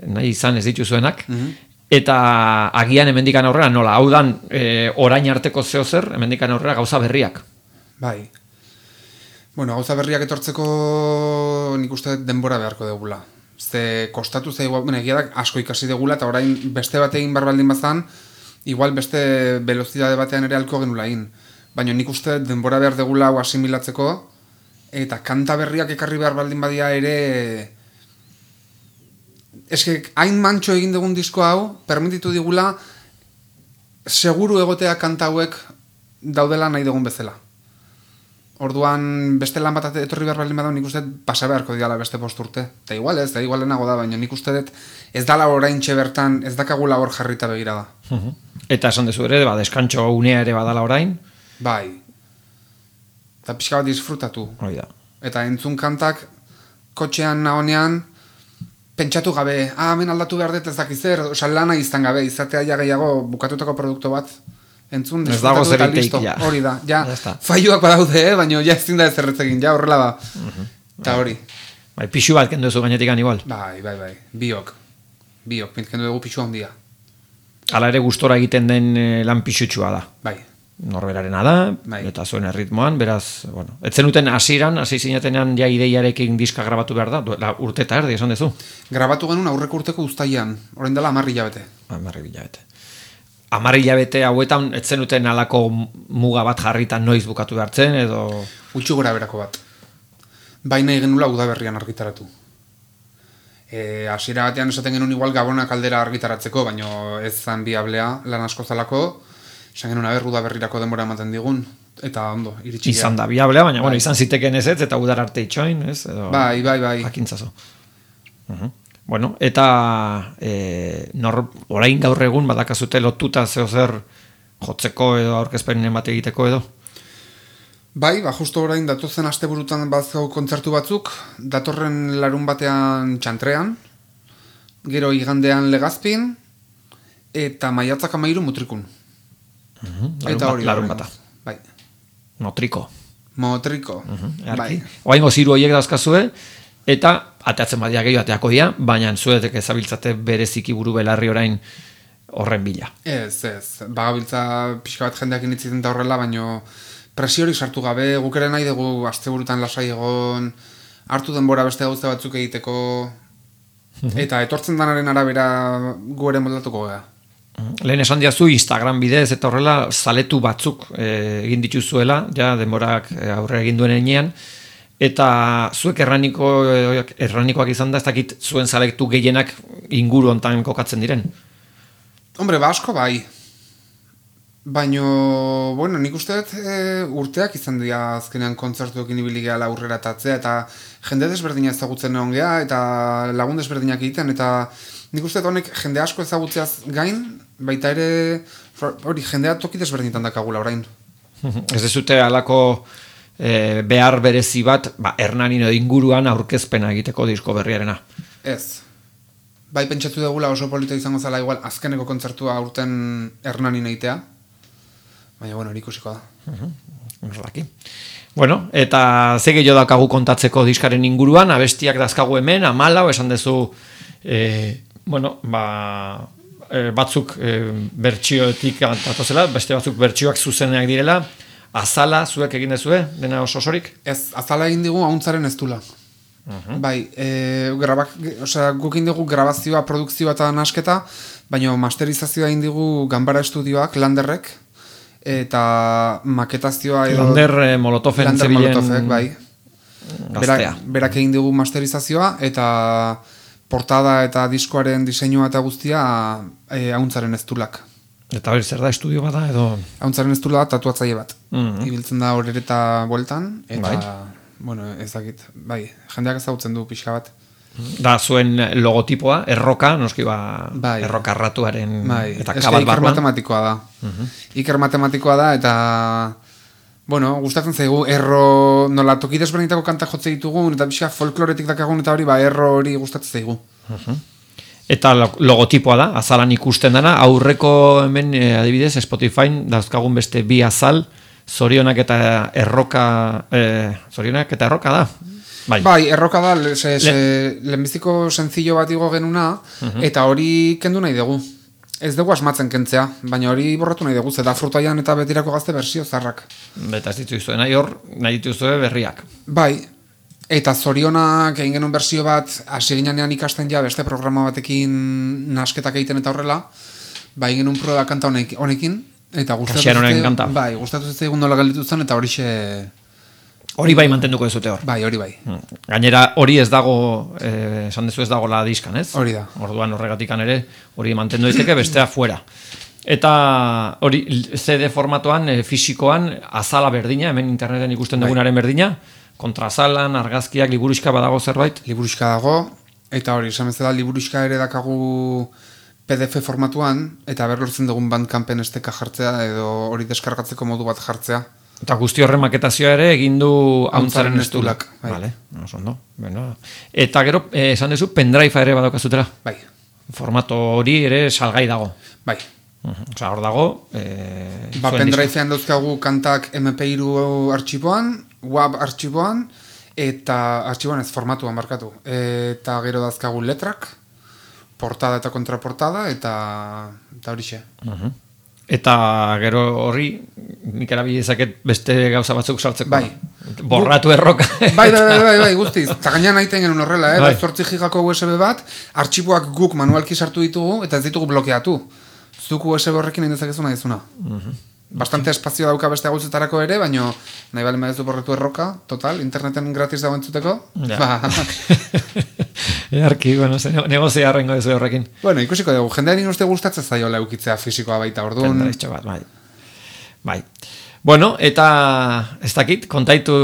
Speaker 1: nahi izan ez dituzuenak, eta agian hemendikan aurrera nola, hau dan orain arteko zehozer, hemendikan aurrera gauza berriak.
Speaker 2: Bai. Bueno, gauza berriak etortzeko nik uste denbora beharko degula. Ze kostatu zaigu, egia da asko ikasi degula, eta orain beste bat egin barbaldin bazan, igual beste velozidade batean ere alko genula egin. Baina nik uste denbora behar degula hau asimilatzeko, eta kanta berriak ekarri behar baldin badia ere... Eske, hain mantxo egin dugun disko hau, permititu digula, seguru egotea kanta hauek daudela nahi dugun bezala. Orduan, beste lan bat etorri behar baldin bada, nik uste pasa beharko diala beste 5 urte. Eta igual ez, lehenago da, baina nik uste dut ez dala oraintxe bertan, ez dakagula hor jarrita begira da.
Speaker 1: Eta esan dezu ere, deskantxo unea ere badala orain?
Speaker 2: Bai. Eta pixka bat disfrutatu.
Speaker 1: Hori da.
Speaker 2: Eta entzun kantak, kotxean nahonean, pentsatu gabe, hemen aldatu behar dut ez dakizer, lana izan gabe, izatea ja gehiago bukatutako produktu bat. Entzun, disfrutatu eta listo, hori da, ja, faioak badaude, baina ja ezin da ez erretzekin, ja, horrela da, eta hori.
Speaker 1: Bai, pixu bat kendu ezu gainetikan igual.
Speaker 2: Bai, biok, kendu dugu pixu handia.
Speaker 1: Hala ere gustora egiten den lan pixutxua da.
Speaker 2: Bai.
Speaker 1: Norberarena da, eta zuen erritmoan, beraz, bueno, etzen uten hasi zinatenean ja ideiarekin diska grabatu behar da, urte eta erdi, esan dezu?
Speaker 2: Grabatu genuen aurreko urteko uztaian, orain dela 10 hilabete.
Speaker 1: 10 hilabete. 10 hilabete hauetan etzen duten alako muga bat jarritan noiz bukatu behartzen, edo...
Speaker 2: Gutxi gora berako bat. Baina egenula udaberrian argitaratu. Hasiera batean esaten genuen igual Gabonak aldera argitaratzeko, baina ez zan biablea lan asko zalako, esan genuen udaberrirako denbora ematen digun, eta ondo, iritsi
Speaker 1: izan da biablea, baina bueno, izan ziteken ez, eta udar arte itxoin, ez? Edo,
Speaker 2: bai.
Speaker 1: Jakintzazo. Bueno, eta orain gaur egun badakazute lotuta zehozer jotzeko edo aurkezpenen bat egiteko edo?
Speaker 2: Bai, justo orain datozen asteburutan bazkau kontzertu batzuk, datorren larun batean Txantrean, gero igandean Legazpin, eta maiatzak 13 Mutrikun. Eta hori
Speaker 1: larun bata.
Speaker 2: Bai.
Speaker 1: Motriko.
Speaker 2: Bai.
Speaker 1: Oaingo ziru horiek dauzkazue, eta ateatzen badia gehiago ateako dia, baina zuetek ezabiltzate bereziki buru belarri orain horren bila.
Speaker 2: Ez. Bagabiltza pixka bat jendeak initziten da horrela, baina presiori sartu gabe, guk ere nahi dugu asteburutan lasai egon, hartu denbora beste gauza batzuk egiteko, eta etortzen danaren arabera gu ere moldatuko gara.
Speaker 1: Lehen esan diazu Instagram bidez eta horrela zaletu batzuk egin dituzuela, ja denborak aurrera egin duen enean, eta zuek erranikoak izan da, ez dakit zuen zaletu gehienak inguru hontan kokatzen diren?
Speaker 2: Hombre, asko bai. Baina, bueno, nik uste urteak izan dira azkenean kontzertuekin ibili gehala aurrera tatzea, eta jende desberdina ezagutzen egon geha, eta lagun desberdinak egiten, eta nik uste honek jende asko ezagutzeaz gain, baita ere, hori, jendea toki desberdinetan dakagula orain.
Speaker 1: Ez dezute alako behar berezi bat, Hernanin edo inguruan aurkezpena egiteko disko berriarena. Ez.
Speaker 2: Bai pentsatu dugula oso polita izango zela igual azkeneko kontzertua aurten Hernanin egitea. Baina, bueno, ikusiko da.
Speaker 1: Bueno, eta ze gehiago daukagu kontatzeko diskaren inguruan, abestiak dazkagu hemen, 14, esan dezu, batzuk bertsioetik datozela, beste batzuk bertsioak zuzeneak direla, Azala, zuek egin dezue, dena oso osorik? Ez, Azala egin digu ahuntzaren ez dula. Bai, guk egin dugu grabazioa, produkzioa eta nasketa, baina masterizazioa egin digu Ganbara Estudioak, Landerrek, eta maketazioa edo... Lander Molotofen zebilen...
Speaker 2: Bai. Berak egin dugu masterizazioa, eta portada eta diskoaren diseinua eta guztia Ahuntzaren Eztulak.
Speaker 1: Eta hori zer da, estudio bada edo?
Speaker 2: Ahuntzaren Eztula tatuatzaile bat. Ibiltzen da horreta bueltan, eta, bueno, ez dakit, bai, jendeak ezagutzen du pixka bat.
Speaker 1: Da zuen logotipoa, erroka, noski erroka ratuaren eta kabal barban.
Speaker 2: Iker matematikoa da. Iker matematikoa da, eta, bueno, gustatzen zaigu, erro, nola toki desberdinetako kantak jotze ditugun, eta pixka folkloretik dakagun, eta hori, erro hori gustatzen zaigu.
Speaker 1: Eta logotipoa da, azalan ikusten dana, aurreko hemen adibidez Spotify dauzkagun beste bi azal, zorionak eta erroka da.
Speaker 2: Bai, erroka da, lehenbiziko senzillo bat igo genuna, eta hori kendu nahi dugu. Ez dugu asmatzen kentzea, baina hori borratu nahi dugu, zeda Frutaian eta Betirako Gazte bersio zarrak.
Speaker 1: Eta ez dituzue nahi dituzue berriak.
Speaker 2: Bai. Eta Zorionak egin genuen bersio bat, hasi ginean ikasten ja beste programa batekin nasketak egiten eta horrela, egin genuen proba kanta honekin, eta gustatu zitzaigun nola gelditu zen, eta horixe...
Speaker 1: Hori bai mantenduko dezute hor.
Speaker 2: Bai, hori bai.
Speaker 1: Gainera, hori ez dago, esan dezu ez dago la diskan, ez?
Speaker 2: Hori da.
Speaker 1: Orduan horregatikan ere, hori mantendu daiteke bestea fuera. Eta hori CD formatoan, fisikoan, azala berdina, hemen interneten ikusten dugunaren berdina, kontrazalan, argazkiak, liburuxka badago zerbait?
Speaker 2: Liburuxka dago, eta hori, esan bezala liburuxka ere dakagu PDF formatuan, eta berlortzen dugun Bandcampen esteka jartzea, edo hori deskargatzeko modu bat jartzea.
Speaker 1: Eta guzti horren maketazioa ere egin du Ahuntzaren Eztulak.
Speaker 2: Vale,
Speaker 1: ondo. Eta gero, esan duzu, pendrive ere badaukazutela?
Speaker 2: Bai.
Speaker 1: Formato hori ere salgai dago?
Speaker 2: Bai.
Speaker 1: Osa, hor dago...
Speaker 2: pendrivean dauzkagu kantak MP3 artxiboan, WAV artxiboan, eta artxiboan ez formatuan markatu. Eta gero dauzkagu letrak, portada eta kontraportada, eta horixe.
Speaker 1: Eta gero horri, nik erabilezaket beste gauza batzuk sartzeko.
Speaker 2: Bai.
Speaker 1: Borratu erroka.
Speaker 2: Bai, guztiz. Eta gainean nahi genuen horrela, 8 gigako USB bat, artxiboak guk manualki sartu ditugu, eta ez ditugu blokeatu. Zuk USB horrekin nahi dezakezu nahi dezuna. Bastante espazio dauka beste gauzetarako ere, baina nahi bali madezu borretu erroka, total, interneten gratis dago entzuteko.
Speaker 1: Earki, bueno, negozia arrengo dezu horrekin.
Speaker 2: Bueno, ikusiko dugu, jendean uste gustatzen zaiola eukitzea fisikoa baita, orduan.
Speaker 1: Pendrive bat, bai. Bueno, eta ez dakit, kontatu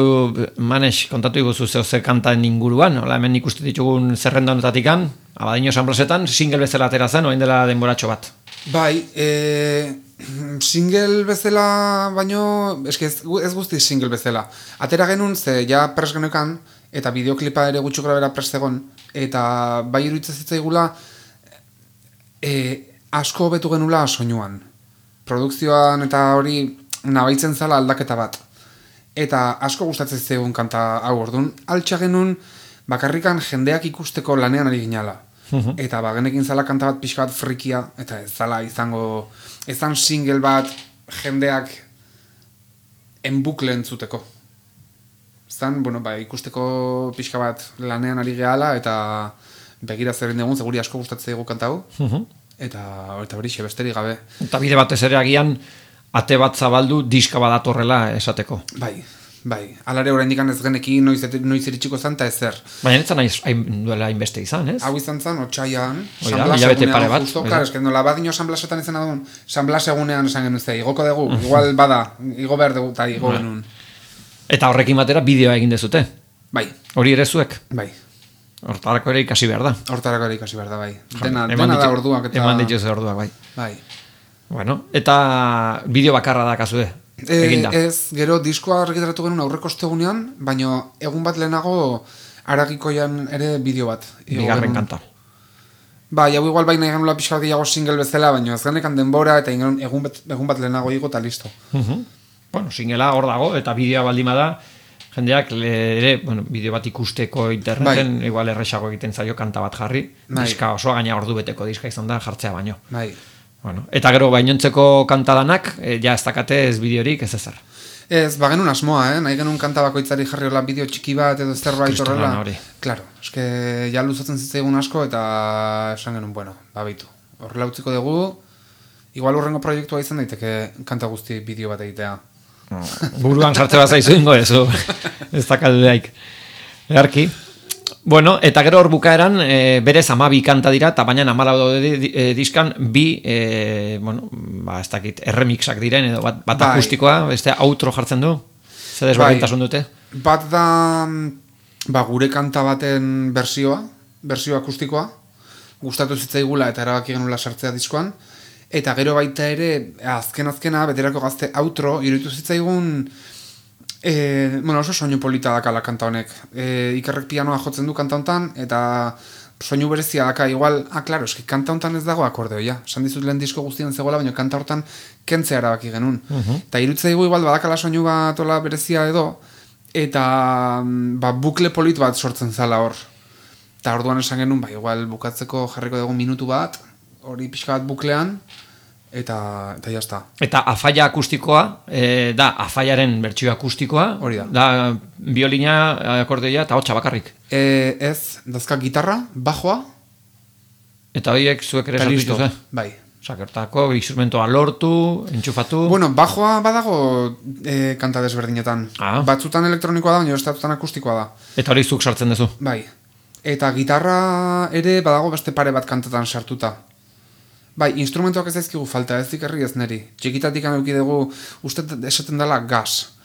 Speaker 1: iguzu zer kantan inguruan, hola hemen ikusten ditugun zerrenda honetatikan, Abadiño San Blasetan, single bezala atera zen, orain dela denboratxo bat.
Speaker 2: Bai, single bezala, baino, ez guzti single bezala. Atera genuen, ze ja pres genuekan, eta bideoklipa ere gutxu grabera pres egon, eta bai iruditzen zitzaigula, asko hobetu genula soinuan. Produkzioan eta hori nabaitzen zala aldaketa bat. Eta asko gustatzen zaigun kanta hau orduan, altxa genuen bakarrikan jendeak ikusteko lanean ari ginala. Eta genekin zala kanta bat pixka bat frikia, eta ez zala izango, ezan single bat jendeak enbukle entzuteko. Zan, bueno, ikusteko pixka bat lanean ari gehala, eta begira zerren dugun, seguri asko gustatzen zaigu kanta hau. Eta hori besterik gabe.
Speaker 1: Eta bide batez ere agian, ate bat zabaldu diska badatorrela esateko.
Speaker 2: Bai, alare orain dikan ez genekin noiz iritsiko zan, eta ezer.
Speaker 1: Baina netzan duela hainbeste izan, ez?
Speaker 2: Hau izan zan, otxaian,
Speaker 1: hilabete pare bat.
Speaker 2: Nola badino San Blasetan izan adun, San Blas egunean esan genuen ze, igoko dugu, igual bada, igo behar dugu, eta igo genuen.
Speaker 1: Eta horrekin batera bideoa egin dezute?
Speaker 2: Bai.
Speaker 1: Hori ere zuek?
Speaker 2: Bai.
Speaker 1: Hortarako ere ikasi behar da?
Speaker 2: Hortarako ere ikasi behar da, bai. Dena da orduak.
Speaker 1: Eman dituz orduak, bai.
Speaker 2: Bai.
Speaker 1: Bueno, eta bideo bakarra da kasue?
Speaker 2: Ez, gero diskoa argitaratu genuen aurreko ostegunean, baina egun bat lehenago Aragikoian ere bideo bat.
Speaker 1: Bigarren kanta.
Speaker 2: Bai, hau igual baina genula pixka gehiago single bezala, baina ez genekan denbora eta egun bat lehenago igo eta listo.
Speaker 1: Bueno, singela hor dago eta bideoa baldima da, jendeak ere, bideo bat ikusteko interneten, igual erresago egiten zaio kanta bat jarri, diska osoa gaina ordu beteko diska izan da jartzea baino.
Speaker 2: Bai.
Speaker 1: Bueno, eta gero bainontzeko kantadanak, ja ez dakate ez bideorik ez ezer.
Speaker 2: Ez, genuen asmoa, nahi genuen kanta bakoitzari jarri hola bideo txiki bat edo zerbait horrela. Claro, eske ja luzatzen zitzaigun asko eta esan genuen, bueno, babitu. Horrela utziko dugu, igual urrengo proiektua izan daiteke kanta guzti bideo bat egitea.
Speaker 1: Buruan sartze bat zaizu ingo ez dakaldeaik. Earki, Bueno, eta gero hor bukaeran, berez 12 kanta dira, eta baina 14 diskan bi, ez dakit, erremixak diren, edo bat akustikoa, beste outro jartzen du? Zer desberdintasun dute?
Speaker 2: Bat da, gure kanta baten bersio akustikoa, gustatu zitzaigula eta erabaki genula sartzea diskoan, eta gero baita ere, azkena, beterako gazte outro, iruditu zitzaigun, oso soinu polita dakala kanta honek. Ikerrek pianoa jotzen du kanta honetan, eta soinu berezia daka, igual, klaro, eski kanta honetan ez dago akordeoia. Esan dizut lehen disko guztien zegoela, baina kanta hortan kentzea erabaki genuen. Eta iruditzaigu igual badakala soinu bat ola berezia edo, eta bukle polit bat sortzen zala hor. Eta orduan esan genuen, igual bukatzeko jarriko dugu minutu bat, hori pixka bat buklean, eta jazta.
Speaker 1: Eta afaia akustikoa, da afaiaren bertsio akustikoa,
Speaker 2: hori da.
Speaker 1: Da biolina, akordeoia eta hotxa bakarrik.
Speaker 2: Ez, dazka gitarra, bajoa.
Speaker 1: Eta horiek zuek ere sartu dituzue?
Speaker 2: Bai.
Speaker 1: Sakertako, instrumentoa lortu, entxufatu...
Speaker 2: Bueno, bajoa badago kanta desberdinetan. Batzutan elektronikoa da, baina estatutan akustikoa da.
Speaker 1: Eta hori zuk sartzen duzu?
Speaker 2: Bai. Eta gitarra ere badago beste pare bat kantatan sartuta. Bai, instrumentoak ez daizkigu falta, ez dikerri ez neri. Txikitatik anuki dugu, uste esaten dela GAS.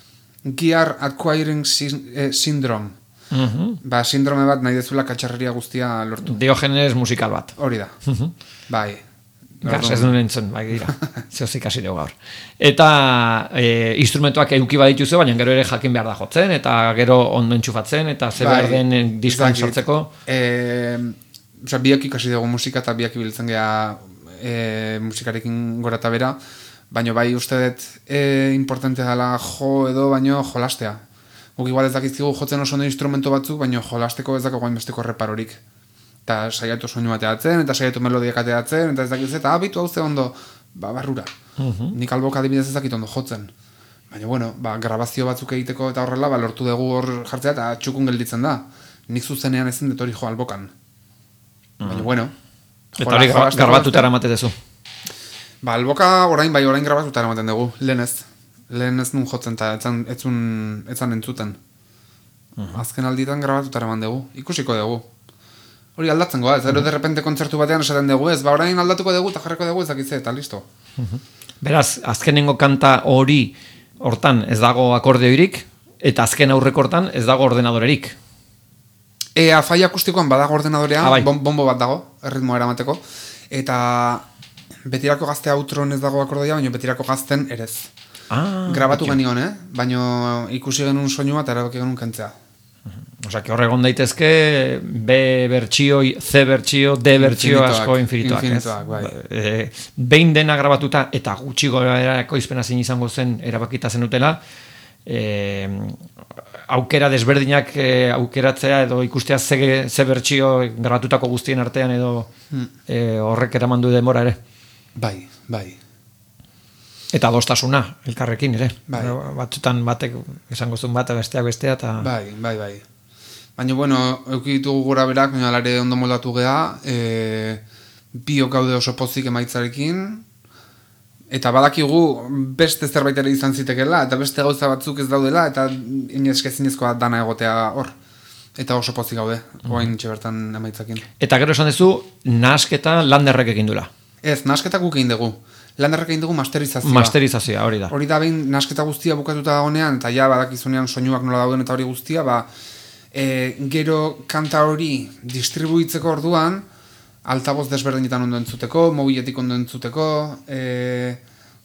Speaker 2: Gear Acquiring Syndrome. Sindrome bat nahi dezula katxarreria guztia lortu.
Speaker 1: Diogenes musikal bat.
Speaker 2: Hori da. Bai.
Speaker 1: GAS ez duen entzun, bai gira. Zeozik hasi dugu gaur. Eta instrumentoak eduki badituzu, baina gero ere jakin behar da jotzen, eta gero ondo entxufatzen, eta ze behar den diskoan sartzeko.
Speaker 2: Biak ikasi dugu musika eta biak ibiltzen geha musikarekin gora eta bera, baina bai uste dut importante dela jo edo baino jolastea. Guk igual ez dakizkigu jotzen oso ondo instrumento batzuk, baina jolasteko ez dago gainbesteko reparorik. Eta saiatu soinu bateatzen, eta saiatu melodiak ateatzen, eta ez dakiz, eta abitu hau ze ondo, barrura. Nik albok adibidez ez dakit ondo jotzen. Baina, bueno, grabazio batzuk egiteko eta horrela, lortu dugu hor jartzea, eta txukun gelditzen da. Nik zuzenean ezin dut hori jo albokan. Baina, bueno.
Speaker 1: Eta hori grabatutara ematetezu?
Speaker 2: Alboka orain grabatutara ematen dugu, lehen ez nun jotzen, eta etzan entzuten. Azken alditan grabatutara eman dugu, ikusiko dugu. Hori aldatzen goa, ez de repente kontzertu batean esaten dugu ez, orain aldatuko dugu eta jarriko dugu ezakitze, eta listo.
Speaker 1: Beraz, azkenengo kanta hori hortan ez dago akordeoirik, eta azken aurrekortan ez dago ordenadorerik.
Speaker 2: Afai akustikoan badago ordenadorea, bombo bat dago, erritmoa eramateko, eta betirako gazte outron ez dago akordeoia, baina betirako gazten erez. Grabatu genion, baina ikusi genuen soinua eta erabaki genuen kentzea.
Speaker 1: Osa, que horregon daitezke B bertsio, C bertsio, D bertsio asko infinituak. Behin dena grabatuta eta gutxi gorako izpena zein izango zen erabakita zenutela, aukera desberdinak aukeratzea edo ikustea ze bertsio grabatutako guztien artean edo horrek eraman du denbora ere.
Speaker 2: Bai.
Speaker 1: Eta adostasuna, elkarrekin ere. Batzutan batek esango zuen bat, besteak bestea, eta...
Speaker 2: Bai. Baina, bueno, eukitugu gura berak, baina alare ondo moldatu geha, biok gaude oso pozik emaitzarekin, eta badakigu beste zerbait ere izan zitekela, eta beste gauza batzuk ez daudela, eta ineskezinezkoa dana egotea hor. Eta oso pozik gaude, oain bertan emaitzakin.
Speaker 1: Eta gero esan duzu, nahasketa Landerrek egin dula.
Speaker 2: Ez, nahasketa guk egin dugu. Landerrek egin dugu masterizazioa.
Speaker 1: Masterizazioa, hori da.
Speaker 2: Hori da behin nahasketa guztia bukatuta dagoenean, eta ja badakizunean soinuak nola dauden eta hori guztia, gero kanta hori distribuitzeko orduan, altaboz desberdinetan ondo entzuteko, mobiletik ondo entzuteko,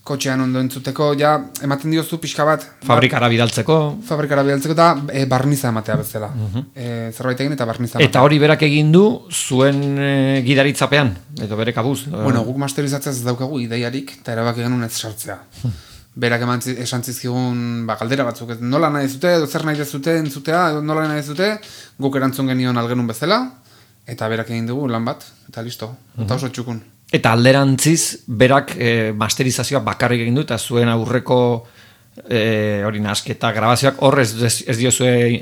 Speaker 2: kotxean ondo entzuteko, ja, ematen diozu pixka bat.
Speaker 1: Fabrikara bidaltzeko
Speaker 2: eta barniza ematea bezala. Zerbait egin eta barniza ematea.
Speaker 1: Eta hori berak egin du zuen gidaritzapean, edo bere kabuz.
Speaker 2: Bueno, guk masterizatzea ez daukagu ideiarik, eta erabaki genuen ez sartzea. Berak esan zizkigun galdera batzuk, nola nahi zute, edo zer nahi dezute, entzutea, edo nola nahi dezute, guk erantzun genion algenun bezala, eta berak egin dugu lan bat, eta listo, eta oso txukun.
Speaker 1: Eta alderantziz, berak masterizazioa bakarrik egin du, eta zuen aurreko hori nahasketa grabazioak horrez ez diozue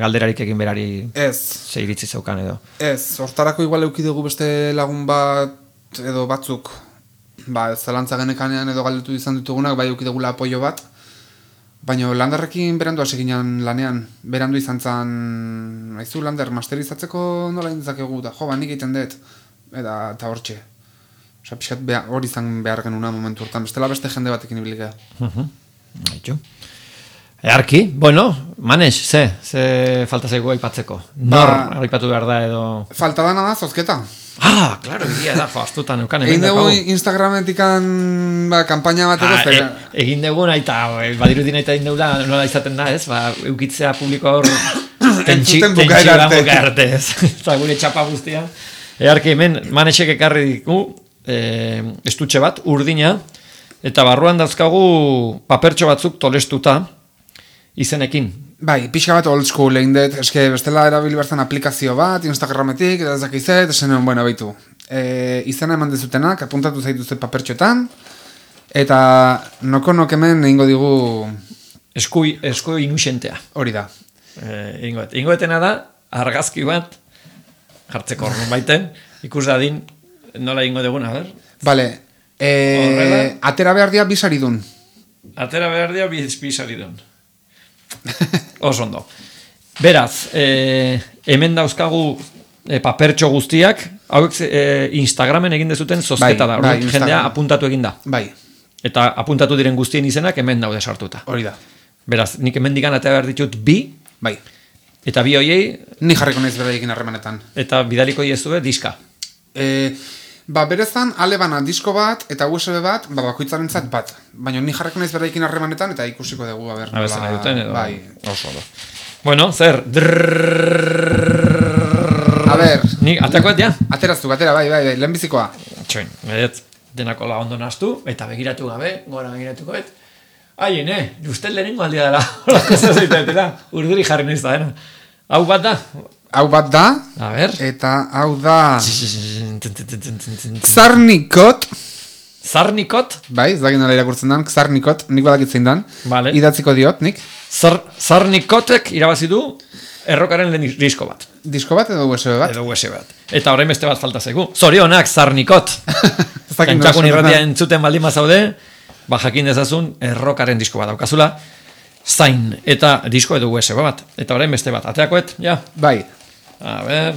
Speaker 1: galderarik egin berari ze iritzi zeukan edo.
Speaker 2: Ez, hortarako igual euki dugu beste lagun bat edo batzuk, zelantza genekanean edo galdetu izan ditugunak, bai euki dugula apoio bat, Baina Landerrekin berandu hasi ginen lanean, berandu izan zen, haizu Lander, masterizatzeko nola intzakegu, da jo, nik egiten dut, eta hortxe. Osa, pixat hori izan behar genuna momentu hortan, bestela beste jende batekin ibilikea.
Speaker 1: Haitxu. Earki, bueno, Manex, ze falta zaigu aipatzeko? Nor aipatu behar da edo...
Speaker 2: Falta dana da, zozketa.
Speaker 1: Ah, claro, egia da, astutan eukan.
Speaker 2: Egin dugu Instagrametikan kanpaina bat edo.
Speaker 1: Egin dugu nahi eta badirudin nahi eta egin dugu da, nola izaten da, ez? Eukitzea publiko hor tentsio buka arte, ez? Eta gure txapa guztia. Earki, hemen Manexek ekarri diku, estutxe bat, urdina, eta barruan dauzkagu papertxo batzuk tolestuta, izenekin.
Speaker 2: Bai, pixka bat old school egin dut, eske bestela erabili bertzen aplikazio bat, Instagrametik, eta ez dakizet, esan bueno, baitu. Izena eman dezutenak, apuntatu zaituzte papertxoetan, eta noko hemen egingo digu...
Speaker 1: Esku inusentea.
Speaker 2: Hori da.
Speaker 1: Ingoetena da, argazki bat, jartzeko horren baiten, ikus dadin, nola ingo duguna, ber?
Speaker 2: Bale, atera behar dia bisaridun.
Speaker 1: Atera behar dia bisaridun. Oso ondo. Beraz, hemen dauzkagu papertxo guztiak, hauek Instagramen egin dezuten zozketa da, jendea apuntatu egin da.
Speaker 2: Bai.
Speaker 1: Eta apuntatu diren guztien izenak hemen daude sartuta.
Speaker 2: Hori da.
Speaker 1: Beraz, nik hemen digan atea behar ditut bi,
Speaker 2: bai.
Speaker 1: Eta bi hoiei...
Speaker 2: Ni jarriko naiz beraiekin harremanetan.
Speaker 1: Eta bidaliko iezue diska.
Speaker 2: Berezan, ale bana disko bat, eta USB bat, bakoitzaren zat bat. Baina ni jarriko naiz beraikin harremanetan, eta ikusiko dugu, a ber.
Speaker 1: Abezen nahi duten, edo...
Speaker 2: Bai.
Speaker 1: Oso. Bueno, zer?
Speaker 2: A ber.
Speaker 1: Ni, ateakoet, ja?
Speaker 2: Ateraztuk, bai, lehenbizikoa.
Speaker 1: Txoin, denako lagondo naztu, eta begiratu gabe, gora begiratukoet. Aien, justel lehenengo aldia dela. Urduri jarri nahiz da, Hau bat da?
Speaker 2: Hau bat da,
Speaker 1: a ber.
Speaker 2: Eta hau da Xarnikot.
Speaker 1: Xarnikot?
Speaker 2: Bai, ez dakit nola irakurtzen dan, Xarnikot, nik badakitzein dan.
Speaker 1: Vale.
Speaker 2: Idatziko diot, nik.
Speaker 1: Xarnikotek irabazi du errokaren disko bat.
Speaker 2: Disko bat edo USB bat?
Speaker 1: Edo USB bat. Eta orain beste bat falta zaigu. Zorionak, Xarnikot. Kantxakun irratia entzuten baldin bazaude, jakin dezazun errokaren disko bat daukazula. Zain, eta disko edo USB bat. Eta orain beste bat, ateakoet, ja?
Speaker 2: Bai.
Speaker 1: A ber,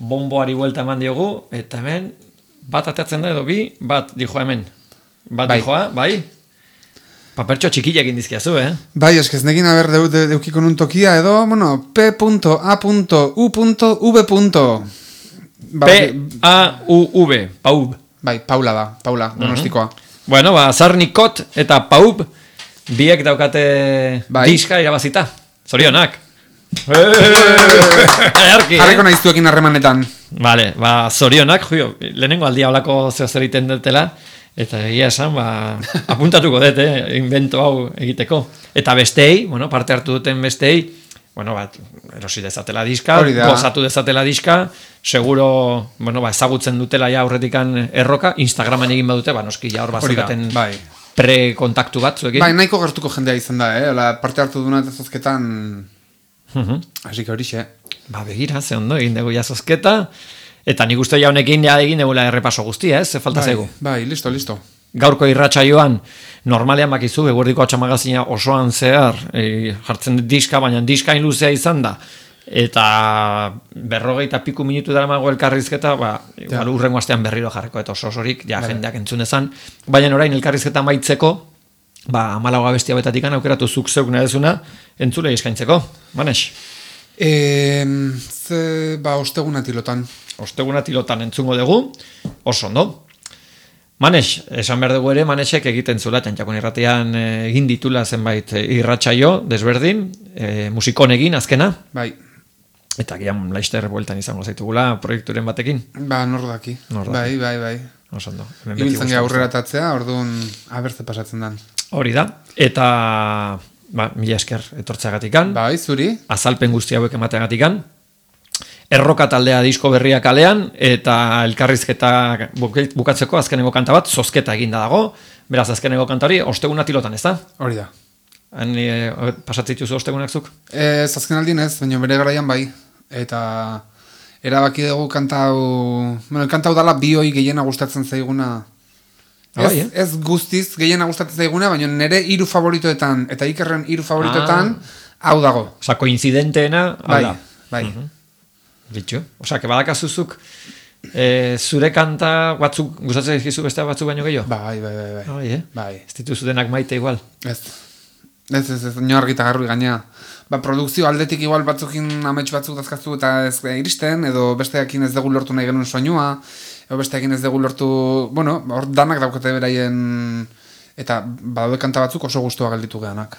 Speaker 1: bomboari buelta eman diogu, eta hemen, bat ateatzen da edo bi, bat dijoa hemen. Bat bai. Dijoa, bai? Papertxo txikila egin dizkiazu,
Speaker 2: Bai, eskez nekin haber deukiko nun tokia edo, bueno, P.A.U.V.
Speaker 1: P-A-U-V, Paub.
Speaker 2: Bai, Paula da, Paula, donostikoa.
Speaker 1: Bueno, Xarnikot eta Paub, biek daukate diska irabazita. Zorionak.
Speaker 2: Jarriko naiztuekin harremanetan.
Speaker 1: Vale, zorionak, lehenengo aldia olako zer egiten dutela, eta egia esan, apuntatuko dut, invento hau egiteko. Eta bestei, parte hartu duten bestei, erosi dezatela diska, gozatu dezatela diska, seguro, ezagutzen dutela ja aurretikan erroka, Instagramen egin badute, noski ja hor bazukaten pre-kontaktu bat, zuekin.
Speaker 2: Bai, nahiko gertuko jendea izan da, parte hartu duna eta zozketan, hasik horixe.
Speaker 1: Begira, ze ondo, egin dugu ja zozketa, eta nik uste ja honekin egin dugula errepaso guztia, ze falta zaigu.
Speaker 2: Bai, listo.
Speaker 1: Gaurko irratsaioan normalean bakizu, eguerdiko atxamagazina osoan zehar jartzen diska, baina diskain luzea izan da, eta 40 piku minutu dara mago elkarrizketa, urrengo astean berriro jarriko eta osorik, jendeak entzun dezan, baina orain elkarrizketa maitzeko, 14 abestia betatik aukeratu zuk zeuk nahezuna, entzule eskaintzeko, Manex?
Speaker 2: Osteguna tilotan.
Speaker 1: Osteguna tilotan entzungo dugu, oso ondo. Manex, esan behar dugu ere, Manexek egiten zula, txantxakon irratian egin ditula zenbait irratsaio desberdin, musikon egin, azkena.
Speaker 2: Bai.
Speaker 1: Eta gian laister bueltan izango zaitugula proiekturen batekin.
Speaker 2: Nordaki. Bai.
Speaker 1: Oso ondo.
Speaker 2: Ibiltzen gara aurreratatzea, orduan abertze pasatzen dan.
Speaker 1: Hori da. Eta, mila esker etortzeagatikan.
Speaker 2: Bai, zuri.
Speaker 1: Azalpen guzti hauek emateagatikan. Erroka taldea disko berria kalean, eta elkarrizketa bukatzeko azkeneko kanta bat, zozketa eginda dago. Beraz, azkeneko kanta hori, osteguna tilotan, ez da?
Speaker 2: Hori da.
Speaker 1: Pasatzituzu ostegunak zuk?
Speaker 2: Azken aldin ez, baina bere garaian bai. Eta erabaki dugu kanta hau... kanta hau dala bi hoi gehiena gustatzen zaiguna Ez guztiz, gehiena gustatzen zaiguna, baina nire 3 favoritoetan, eta Ikerren 3 favoritoetan, hau dago.
Speaker 1: Osa, koincidenteena, hau da.
Speaker 2: Bai.
Speaker 1: Bitxo. Osa, que badakazuzuk, zure kanta batzuk, gustatzen ezkizu beste batzuk baino gehiago?
Speaker 2: Bai.
Speaker 1: Ez dituzu denak maite igual?
Speaker 2: Ez, nio argita garbi gainea. Produkzio aldetik igual batzukin amets batzuk dazkazu eta ez iristen, edo besteakin ez dugu lortu nahi genuen soinua, edo besteakin ez dugu lortu, bueno, hor danak daukate beraien, eta badaude kanta batzuk oso gustua gelditu geanak.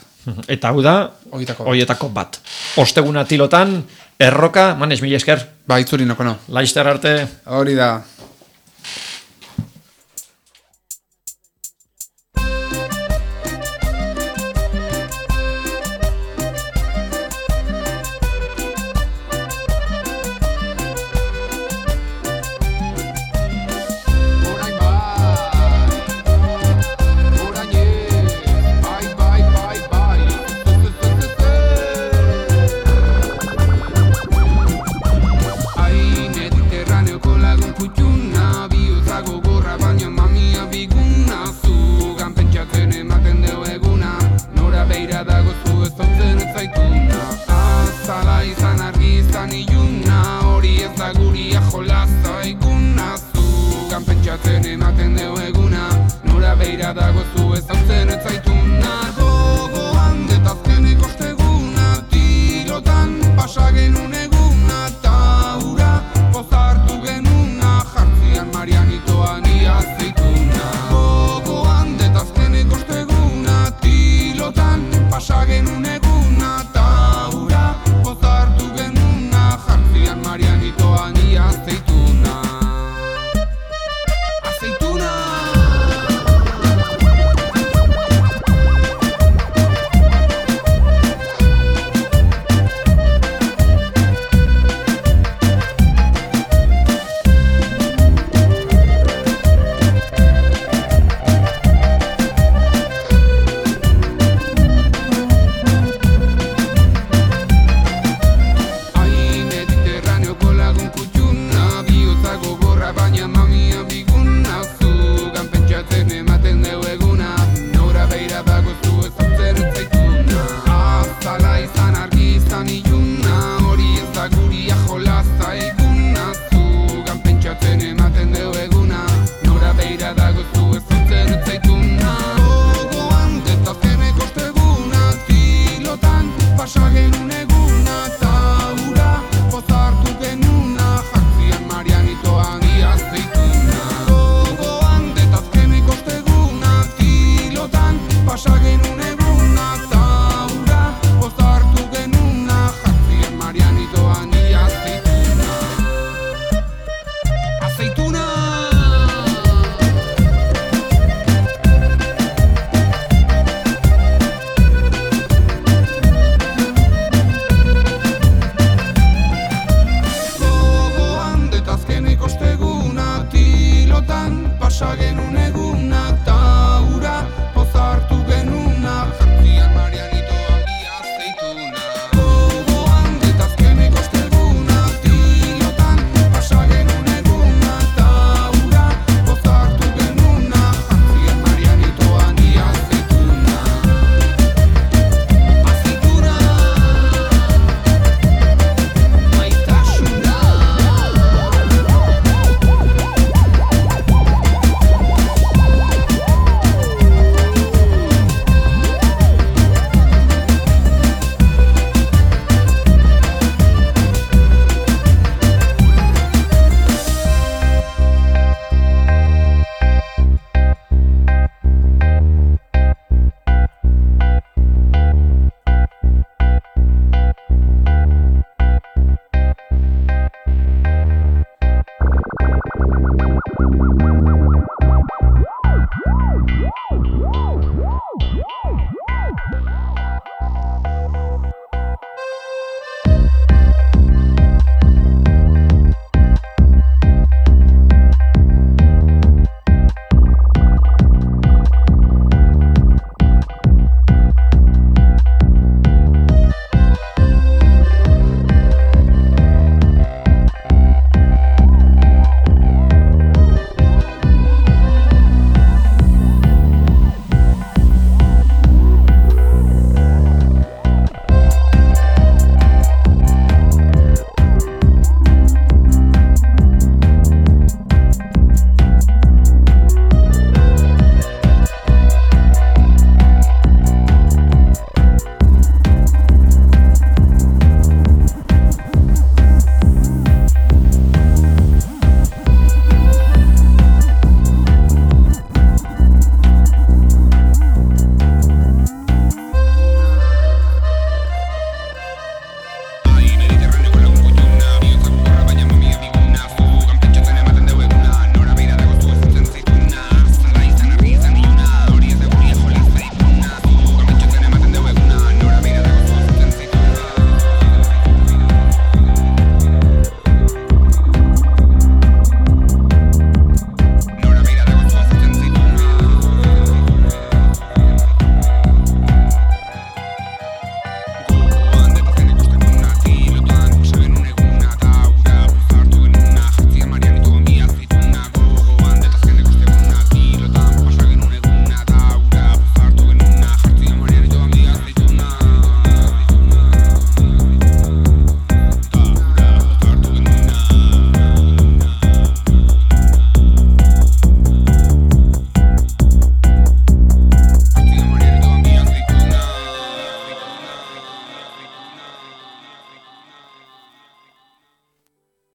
Speaker 1: Eta hau da, horietako bat. Osteguna tilotan, erroka, manes, mila esker.
Speaker 2: Ba, itzuri noko no.
Speaker 1: Laizter arte.
Speaker 2: Hori da.
Speaker 3: Pasa genuen